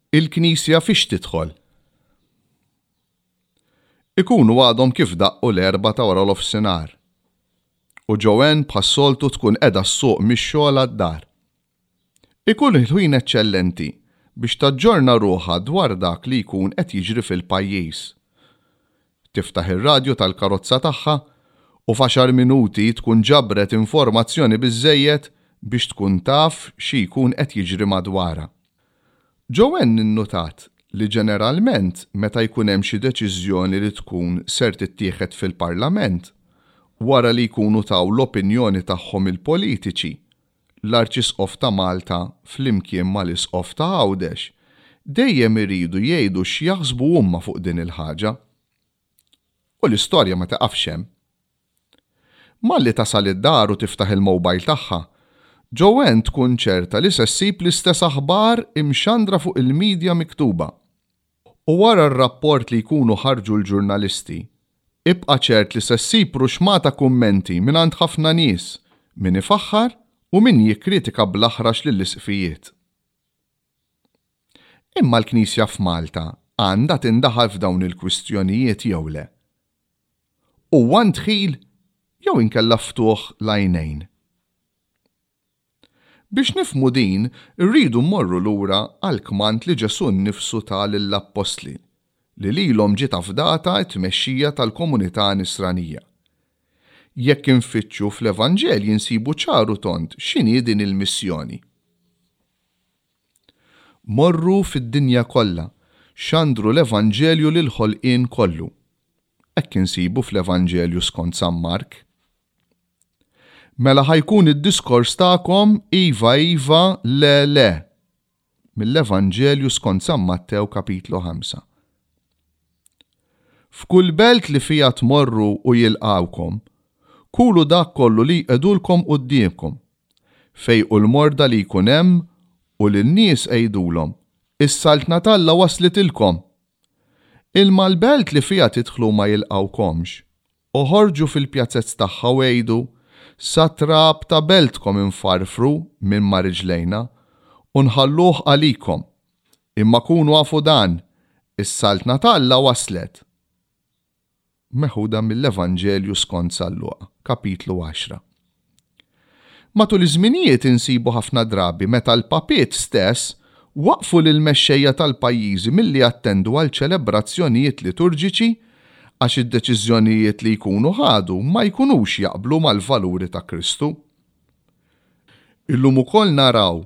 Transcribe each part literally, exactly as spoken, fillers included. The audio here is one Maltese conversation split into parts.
Il-Knisja fiex tidħol? Ikunu għadhom kif daqqu l-erbgħa ta' wara nofsinhar. U Joanne bħas-soltu tkun qiegħda ssuq mix-xogħol għad-dar. Ikun il-ħin eċċellenti biex taġġorna ruħha dwar dak li jkun qed jiġri fil-pajjiż. Tiftaħ ir-radju tal-karozza tagħha u f'għaxar minuti tkun ġabret informazzjoni biżżejjed biex tkun taf xi jkun qed jiġri madwarha. Joanne innutat li ġeneralment meta jkun hemm xi deċiżjoni li tkun ser tittieħed fil-Parlament, wara li jkunu taw l-opinjoni tagħhom il-politiċi, l-Arċisqof ta' Malta flimkien mal-Isqof ta' Għawdex dejjem iridu jgħidu x'jaħsbu huma fuq din il-ħaġa. U l-istorja ma taqafx hemm. Malli tasal id-dar u tiftaħ il-mobile tagħha, Joanne tkun ċerta li se ssib l-istess aħbar imxandra fuq il-medja miktuba. U wara r-rapport li jkunu ħarġu l-ġurnalisti, ibqa' ċert li se ssib ruxmata kummenti mingħand ħafna nies, min ifaħħar u min jikkritika bl-aħrax lill-isqfijiet. Imma l-Knisja f'Malta għandha tindaħal f'dawn il-kwistjonijiet jew le? Huwa ndħil jew inkella ftuħ l-għajnejn? Biex nifhmu din, irridu mmorru lura għall-kmand li Ġesù nnifsu ta lill-appostli, li lilhom ġiet afdata t-tmexxija tal-komunità nisranija. Jekk infittxu fl-Evanġelji nsibu ċar u tond x'inhi din il-missjoni. Morru fid-dinja kollha, xandru l-Evanġelju lil ħolqien kollu. Hekk insibu fl-Evanġelju skont San Mark. Mela ħa jkun id-diskors tagħkom iva iva le le. Mill-Evanġelju skont San Mattew kapitlu ħamsa. F'kull belt li fija tmorru u jilqawkom, kulu dak kollu li jqegħdulkom quddiemkom. Fejqu l-morda li jkun hemm u lin-nies għidulhom, is-saltna t'Alla waslitilkom. Imma l-belt li fija tidħlu ma jilqawkomx, oħorġu fil-pjazzezz tagħha u għidu, sa trab ta' beltkom infarfru minn ma' riġlejna u nħalluh għalikom. Imma kunu afu dan, is-saltna t'Alla waslet. Meħuda mill-Evanġelju skont San Luqa, kapitlu għaxra. Matul iż-żminijiet insibu ħafna drabi meta l-papiet stess waqfu lil mexxejja tal-pajjiżi milli jattendu għal ċelebrazzjonijiet liturġiċi għax id-deċiżjonijiet li jkunu ħadu ma jkunux jaqblu mal-valuri ta' Kristu. Illum ukoll naraw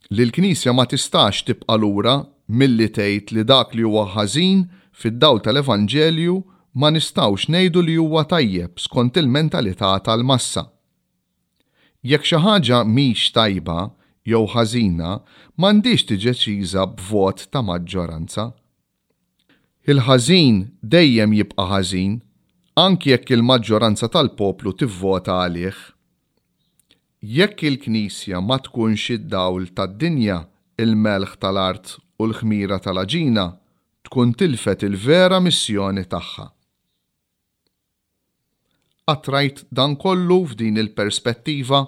li l-Knisja ma tistax tibqa' lura milli tgħid li dak li huwa ħażin fid-dawl tal-Evanġelju ma nistgħux ngħidu li huwa tajjeb skont il-mentalità tal-massa. Jekk xi ħaġa mhix tajba jew ħażina, m'għandhiex tiġi deċiża b'vot ta' maġġoranza. Il-ħażin dejjem jibqa' ħażin, anki jekk il-maġġoranza tal-poplu tivvota għalih. Jekk il-Knisja ma tkunx id-dawl tad-dinja, il-melħ tal-art u l-ħmira tal-għaġina, tkun tilfet il-vera missjoni tagħha. Qatt rajt dan kollu f'din il-perspettiva?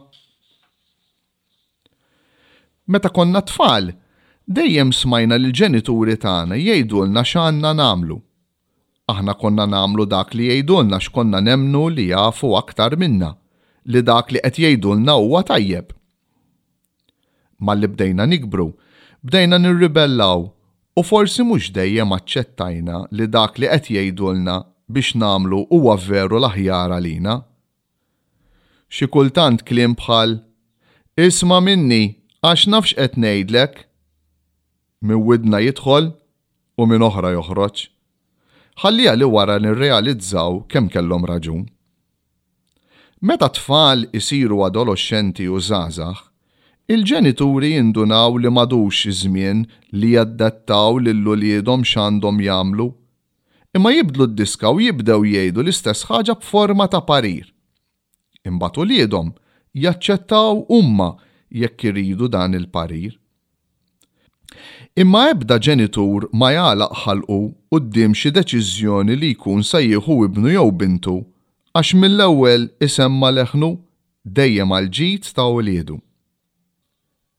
Meta konna tfal, dejjem smajna lill-ġenituri tagħna jgħidulna x'għandna nagħmlu. Aħna konna nagħmlu dak li jgħidulna x'konna nemmnu li jafu aktar minna, li dak li qed jgħidulna huwa tajjeb. Malli bdejna nikbru, bdejna nirribellaw u forsi mhux dejjem aċċettajna li dak li qed jgħidulna biex nagħmlu huwa veru l-aħjar għalina. Xi kultant kliem bħal Isma' minni għax nafx qed ngħidlek, minn widna jidħol u minn oħra joħroġ. Ħalliha li wara nirrealizzaw kemm kellhom raġun. Meta tfal isiru adolescenti u żgħażagħ, il-ġenituri jindunaw li m'għadux iż-żmien li jaddattaw lil uliedhom x'għandhom jagħmlu, imma jibdlu d-diska u jibdew jgħidu l-istess ħaġa b'forma ta' parir. Imbagħad uliedhom jaċċettaw huma jekk iridu dan il-parir. Imma ebda ġenitur ma jagħlaq ħalqu quddiem xi deċiżjoni li jkun se jieħu ibnu jew bintu għax mill-ewwel isemma leħnu dejjem għal ġid ta' uliedu.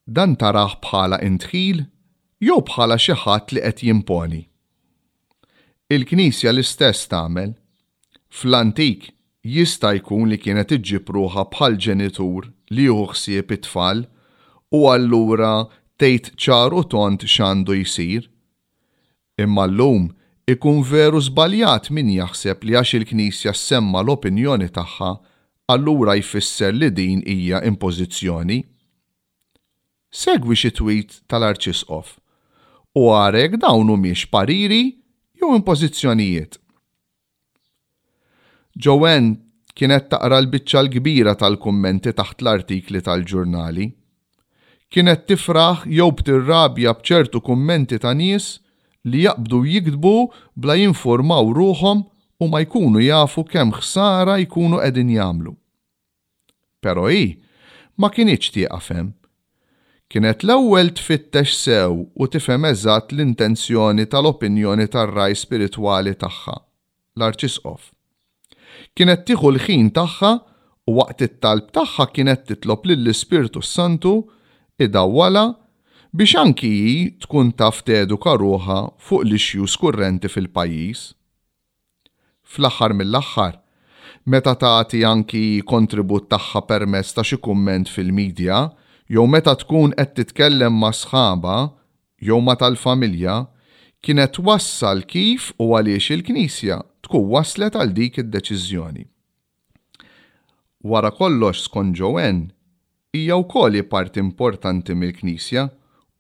Dan tarah bħala indħil jew bħala xi ħadd li qed jimponi? Il-Knisja l-istess tagħmel. Fl-antik jista' jkun li kienet iġġib ruħha bħal ġenitur li jieħu ħsieb it-tfal u allura tgħid ċar u tond x'għandu jsir. Imma llum ikun veru żbaljat min jaħseb li għax il-Knisja ssemma l-opinjoni tagħha allura jfisser li din hija impożizzjoni. Segwi xi tweet tal-Arċisqof u ara jekk dawn humiex pariri jew impożizzjonijiet. Joanne kienet taqra l-biċċa l-kbira tal-kummenti taħt l-artikli tal-ġurnali. Kienet tifraħ jew b'tirrabja b'ċertu kummenti ta' nies li jaqbdu jiktbu bla jinformaw ruħhom u ma jkunu jafu kemm ħsara jkunu qegħdin jagħmlu. Però hi ma kinitx tieqaf hemm. Kienet l-ewwel tfittex sew u tifhem eżatt l-intenzjoni tal-opinjoni tar-ragħaj spiritwali tagħha, l-Arċisqof. Kienet tieħu l-ħin tagħha u waqt it-talb tagħha kienet titlob lill-Ispirtu Santu idawwalha biex anki hi tkun taf teduka ruħha fuq l-issues kurrenti fil-pajjiż. Fl-aħħar mill-aħħar, meta tagħti anki kontribut tagħha permezz ta' xi kumment fil-medja, jew meta tkun qed titkellem ma' sħaba jew ma' tal-familja, kienet twassal kif u għaliex il-Knisja tkun waslet għal dik id-deċiżjoni. Wara kollox skont Joanne, hija wkoll parti importanti mill-Knisja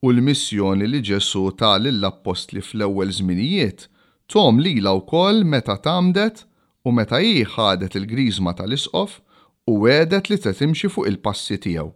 u l-missjoni li Ġesù ta lill-appostli fl-ewwel żminijiet tahom lilha wkoll meta tgħammdet u meta hi ħadet il-griżma tal-isqof u wegħdet li se timxi fuq il-passi tiegħu.